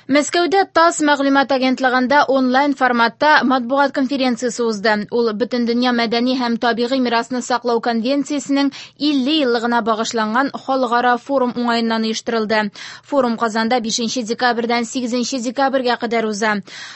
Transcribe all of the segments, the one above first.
Мәскәүдә ТАСС мәгълүмат агентлыгында онлайн форматта матбугат конференциясе узды. Ул Бөтендөнья мәдәни һәм табигый мирасны саклау конвенциясенең 50 еллыгына багышланган халыкара форум уңаеннан оештырылды. Форум Казанда 5 декабрьдән 8 декабрьгә кадәр уза.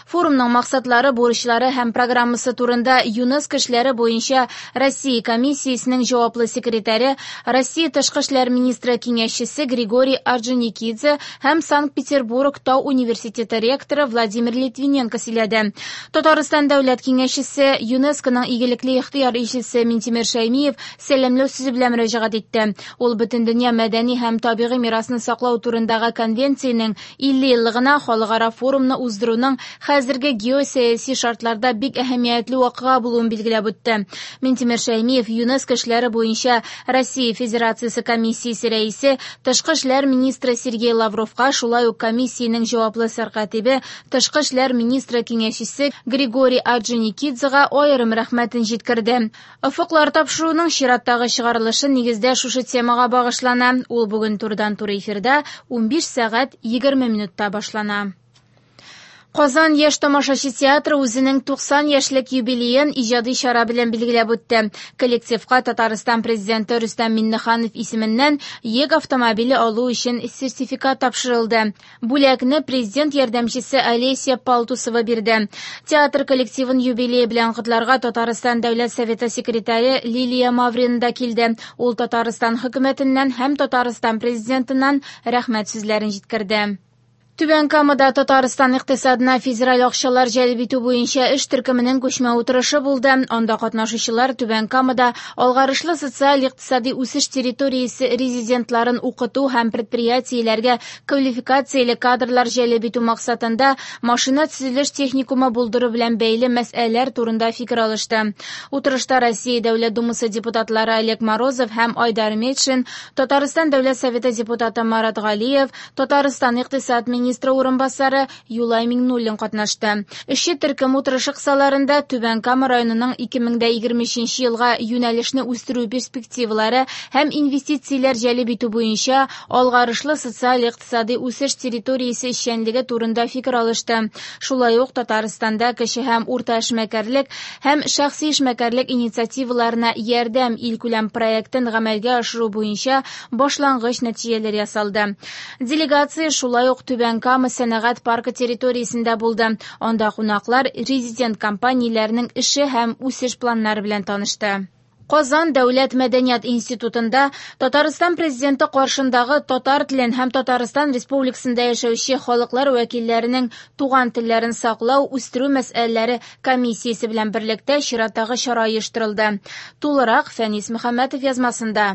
Форумның максатлары, бурычлары һәм программасы турында ЮНЕСКО эшләре буенча Россия комиссиясенең җаваплы секретаре, Россия тышкы эшләр министры киңәшчесе Григорий Орджоникидзе һәм Санкт-Петербург тау университеты ректоры Владимир Литвиненко сөйләде. Татарстан дәүләт киңәшчесе, ЮНЕСКОның игелекле ихтыяр илчесе Минтимер Шәймиев сәламләү сүзе белән мөрәҗәгать итте. Ул Бөтендөнья мәдәни һәм табигый мирасны саклау турындагы конвенциянең 50 еллыгына халыкара форумны уздыруның хәзерге геосәяси шартларда бик әһәмиятле вакыйга булуын билгеләп үтте. Минтимер Шәймиев ЮНЕСКО эшләре буенча Россия Федерациясе комиссиясе рәисе, тышкы эшләр министры Сергей Лавровка, шулай ук комиссиянең җаваплы сәркатибе, тышкы эшләр министры киңәшчесе Григорий Орджоникидзега аерым рәхмәтен җиткерде. Офыклар тапшыруының чираттагы чыгарылышы нигездә шушы темага багышлана. Ул бүген турыдан-туры эфирда 15 сәгать 20 минутта башлана. Казан яшь тамашачы театры үзенең 90 яшьлек юбилеен иҗади чара белән билгеләп үтте. Коллективка Татарстан президенты Рөстәм Миңнеханов исеменнән йөк автомобиле алу өчен сертификат тапшырылды. Бүләкне президент ярдәмчесе Олеся Палтусова бирде. Театр коллективын юбилее белән котларга Татарстан Дәүләт Советы секретаре Лилия Маврина да килде. Ул Татарстан хөкүмәтеннән һәм Татарстан президентыннан рәхмәт сүзләрен җиткерде. Түбән Камада Татарстан икътисадына федераль акчалар җәлеп итү буенча эш төркеменең күчмә утырышы булды. Анда катнашучылар Түбән Камада алгарышлы социаль-икътисади үсеш территориясе резидентларын укыту һәм предприятиеләргә квалификацияле кадрлар җәлеп итү максатында машина төзелеш техникумы булдыру белән бәйле мәсьәләләр турында фикер алышты. Утырышта Россия Дәүләт Думасы депутатлары Олег Морозов һәм Айдар Метшин, Татарстан Дәүләт Советы депутаты Марат Галиев, Татарстан икътисад министры урынбасары Юлай Миңнуллин катнашты. Эшче төркем утырышы кысаларында Түбән Кама районының 2023 елга юнәлешне үстерү перспективалары һәм инвестицияләр җәлеп итү буенча алгарышлы социаль-икътисади үсеш территориясе эшчәнлеге турында фикер алышты. Шулай ук Татарстанда кече һәм урта эшмәкәрлек һәм шәхси эшмәкәрлек инициативаларына ярдәм илкүләм проектын гамәлгә ашыру буенча башлангыч нәтиҗәләр ясалды. Делегация шулай ук Түбән Кама сәнәгать паркы территориясендә булды. Анда кунаклар резидент компанияләренең эше һәм үсеш планнары белән танышты. Казан дәүләт мәдәният институтында Татарстан президенты каршындагы татар телен һәм Татарстан Республикасында яшәүче халыклар вәкилләренең туган телләрен саклау, үстерү мәсьәләләре комиссиясе белән берлектә чираттагы чара оештырылды. Тулырак Фәнис Мөхәммәтов язмасында.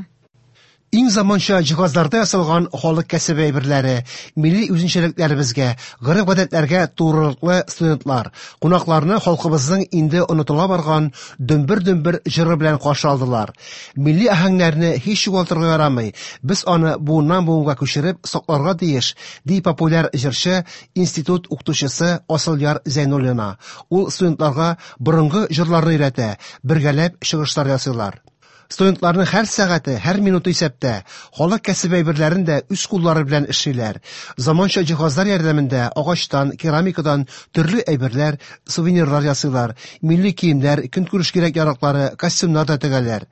Иң заманча җиһазларда ясалган халык кәсебе әйберләре, милли үзенчәлекләребезгә, гореф-гадәтләргә турылыклы студентлар, кунакларны халкыбызның инде онытыла барган дөмбер-дөмбер җыры белән каршы алдылар. Милли аһәңнәрне һич югалтырга ярамый, без аны буыннан буынга күчереп сакларга тиеш, ди популяр җырчы, институт укытучысы Асылъяр Зәйнуллина. Ул студентларга борынгы җырларны өйрәтә, бергәләп чыгышлар ясыйлар. Студентларның һәр сәгате, һәр минуты исәптә. Халык кәсебе әйберләрен дә үз куллары белән эшлиләр. Заманча җиһазлар ярдәмендә агачтан, керамикадан төрле әйберләр, сувенирлар ясыйлар. Милли киемнәр, көнкүреш кирәк-яраклары, костюмнар да тегәләр.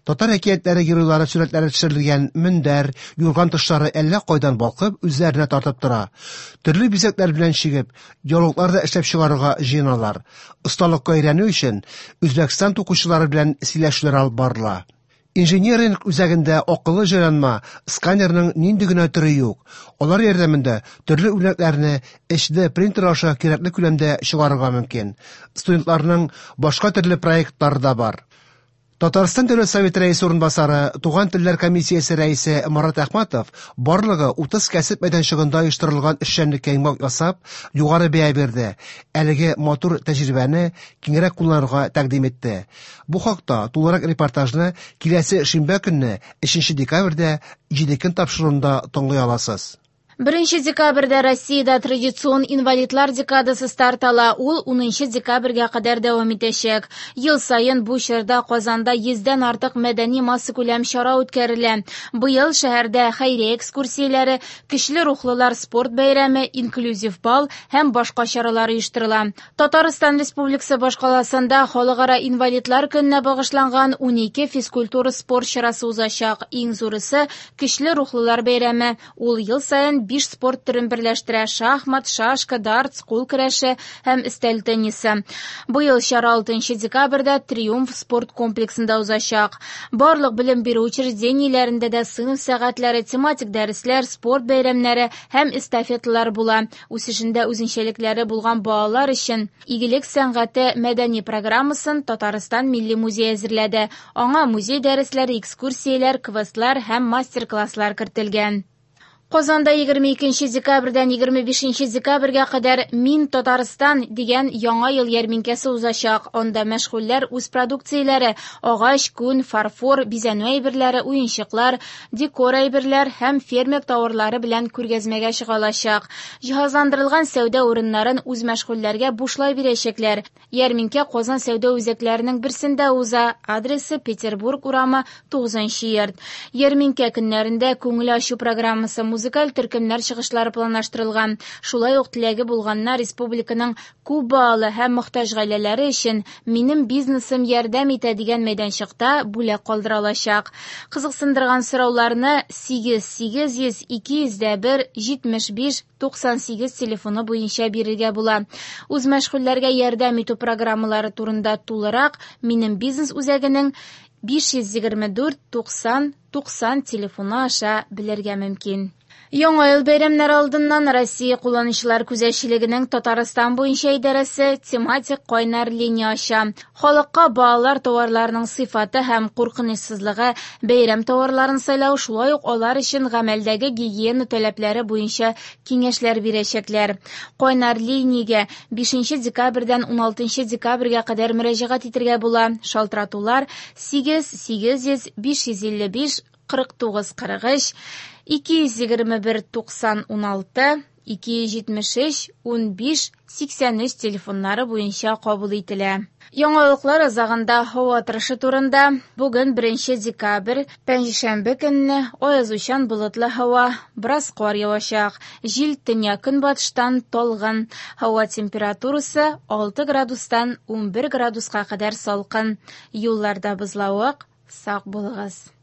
Татар әкиятләре геройлары сурәтләре төшерелгән мендәр, юрган тышлары әллә кайдан балкып, үзләренә тартып тора. Төрле бизәкләр белән чигеп, яулыклар да эшләп чыгарырга җыеналар. Осталыкка өйрәнү өчен Үзбәкстан тукучылары белән сөйләшүләр алып барыла. Инжиниринг үзәгендә акыллы җайланма, сканерның нинди генә төре юк. Алар ярдәмендә төрле үрнәкләрне HD принтер аша кирәкле күләмдә чыгарырга мөмкин. Студентларның башка төрле проектлары да бар. Татарстан Дәүләт Советы рәисе урынбасары, Туган телләр комиссиясе рәисе Марат Әхмәтов барлыгы 30 кәсеп мәйданчыгында оештырылган эшчәнлеккә йомгак ясап, югары бәя бирде. Әлеге матур тәҗрибәне киңрәк кулланырга тәкъдим итте. Бу хакта тулырак репортажны киләсе шимбә көнне 3 декабрьдә 7 көн тапшыруында тыңлый аласыз. 1 декабрьдә Россиядә традицион инвалидлар декадасы старт ала. Ул 10 декабрьгә кадәр дәвам итәчәк. Ел саен бу чорда Казанда 100дән артык мәдәни массакүләм чара үткәрелә. Быел шәһәрдә хәйрия экскурсияләре, көчле рухлылар спорт бәйрәме, инклюзив бал һәм башка чаралар оештырыла. Татарстан Республикасы башкаласында Халыкара инвалидлар көненә багышланган 12 физкультура спорт чарасы узачак. Иң зурысы көчле рухлылар бәйрәме. Ул ел саен 5 спорт төрен берләштерә: шахмат, шашка, дартс, кул көрәше һәм өстәл теннисы. Быел чара 6 декабрьдә Триумф спорт комплексында узачак. Барлык белем бирү учреждениеләрендә дә сыйныф сәгатьләре, тематик дәресләр, спорт бәйрәмнәре һәм эстафеталар була. Үсешендә үзенчәлекләре булган балалар өчен Игелек сәнгате мәдәни программасын Татарстан Милли музее әзерләде. Аңа музей дәресләре, экскурсияләр, квестлар һәм мастер-класслар кертелгән. Казанда 22 декабрьдән 25 декабрьгә кадәр «Мин Татарстан» дигән яңа ел ярминкәсе узачак. Анда мәшгульләр үз продукцияләре – агач, күн, фарфор, бизәнү әйберләре, уенчыклар, декор әйберләр һәм фермер тауарлары белән күргәзмәгә чыга алачак. Җиһазландырылган сәүдә урыннарын үз мәшгульләргә бушлай бирәчәкләр. Ярминкә Казан сәүдә үзәкләренең берсендә уза. Адресы Петербург урамы 9 йорт. Ярминкә көннәрендә күңел ачу программасы, музыкаль төркемнәр чыгышлары планлаштырылган. Шулай ук теләге булганнар республиканың күп балалы һәм мохтаҗ гаиләләре өчен «Минем бизнесым ярдәм итә» дигән мәйданчыкта бүләк калдыра алачак. Кызыксындырган сорауларны 8 800 201 75 98 телефоны буенча бирергә була. Үз мәшгульләргә ярдәм итү программалары турында тулырак «Минем бизнес» үзәгенең 524 90 90 телефоны аша белергә мөмкин. Яңа ел бәйрәмнәре алдыннан Россия кулланучылар күзәтчелегенең Татарстан буенча идарәсе тематик кайнар линия ача. Халыкка балалар тауарларының сыйфаты һәм куркынычсызлыгы, бәйрәм тауарларын сайлау, шулай ук алар өчен гамәлдәге гигиена таләпләре буенча киңәшләр бирәчәкләр. Кайнар линиягә 5 декабрьдән 16 декабрьгә кадәр мөрәҗәгать итәргә була. Шалтыратулар 8 800 555 49 43, 221 90 16, 273 15 83 телефоннары буенча кабул ителә. Яңалыклар азагында һава торышы турында. Бүген 1 декабрь, пәнҗешәмбе көнне аязучан болытлы һава, бераз кар явачак. Җил төньяк көнбатыштан талгын. Һава температурасы 6 градустан 11 градуска кадәр салкын. Юлларда бозлавык, сак булыгыз.